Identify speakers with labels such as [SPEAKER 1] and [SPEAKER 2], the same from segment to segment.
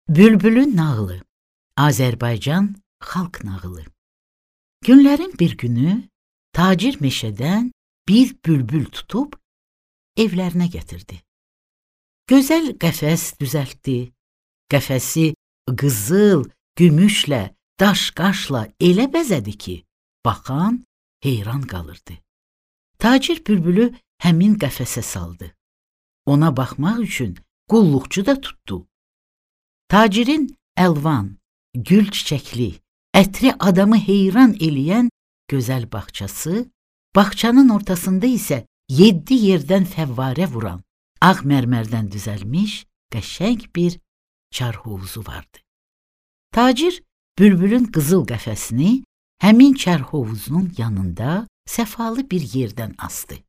[SPEAKER 1] Bülbülün nağılı. Azərbaycan xalq nağılı. Günlərin bir günü tacir meşədən bir bülbül tutub evlərinə gətirdi. Gözəl qəfəs düzəltdi. Qəfəsi qızıl, gümüşlə, daş-qaşla elə bəzədi ki, baxan heyran qalırdı. Tacir bülbülü həmin qəfəsə saldı. Ona baxmaq üçün qulluqçu da tutdu. Tacirin əlvan, gül çiçəkli, ətri adamı heyran eləyən gözəl bağçası, bağçanın ortasında isə 7 yerdən fəvvarə vuran, ağ mərmərdən düzəlmiş, qəşəng bir çar hovuzu vardı. Tacir bülbülün qızıl qəfəsini həmin çar hovuzunun yanında səfalı bir yerdən asdı.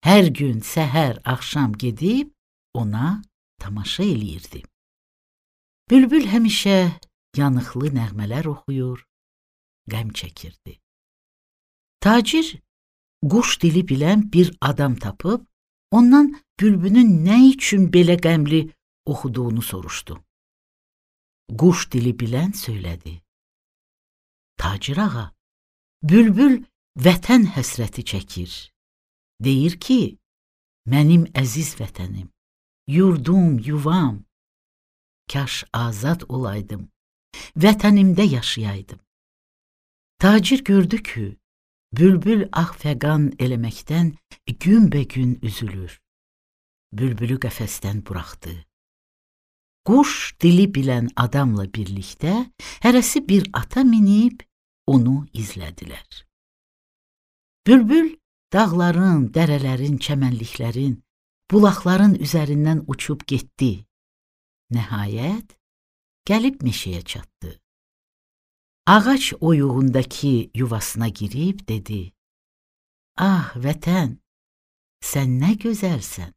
[SPEAKER 1] Hər gün səhər, axşam gedib ona tamaşa eləyirdi. Bülbül həmişə yanıqlı nəğmələr oxuyur, qəm çəkirdi. Tacir quş dili bilən bir adam tapıb, ondan bülbülün nə üçün belə qəmli oxuduğunu soruşdu. Quş dili bilən söylədi. Tacir ağa, bülbül vətən həsrəti çəkir. Deyir ki, mənim əziz vətənim, yurdum, yuvam, kaş azad olaydım, vətənimdə yaşayaydım. Tacir gördü ki, bülbül ağ fəqan eləməkdən günbəgün üzülür. Bülbülü qəfəsdən buraxdı. Quş dili bilən adamla birlikdə hərəsi bir ata minib onu izlədilər. Bülbül dağların, dərələrin, çəmənliklərin, bulaqların üzərindən uçub getdi. Nəhayət, gəlib meşəyə çatdı. Ağac oyuğundakı yuvasına girib dedi, ah vətən, sən nə gözəlsən.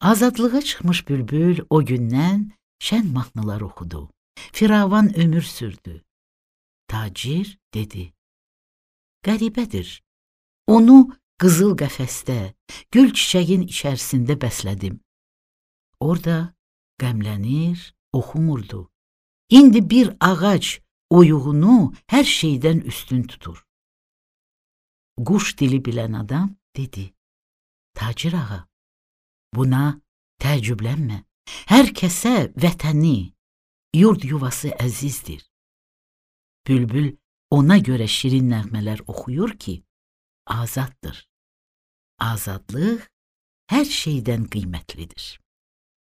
[SPEAKER 1] Azadlığa çıxmış bülbül o gündən şən mahnılar oxudu, firavan ömür sürdü. Tacir dedi, qəribədir, onu qızıl qəfəsdə, gül çiçəyin içərisində bəslədim. Orada qəmlənir, oxumurdu. İndi bir ağac oyuğunu hər şeydən üstün tutur. Quş dili bilən adam dedi, Tacir ağa, buna təəccüblənmə. Hər kəsə vətəni, yurd yuvası əzizdir. Bülbül ona görə şirin nəğmələr oxuyur ki, azaddır. Azadlıq hər şeydən qiymətlidir.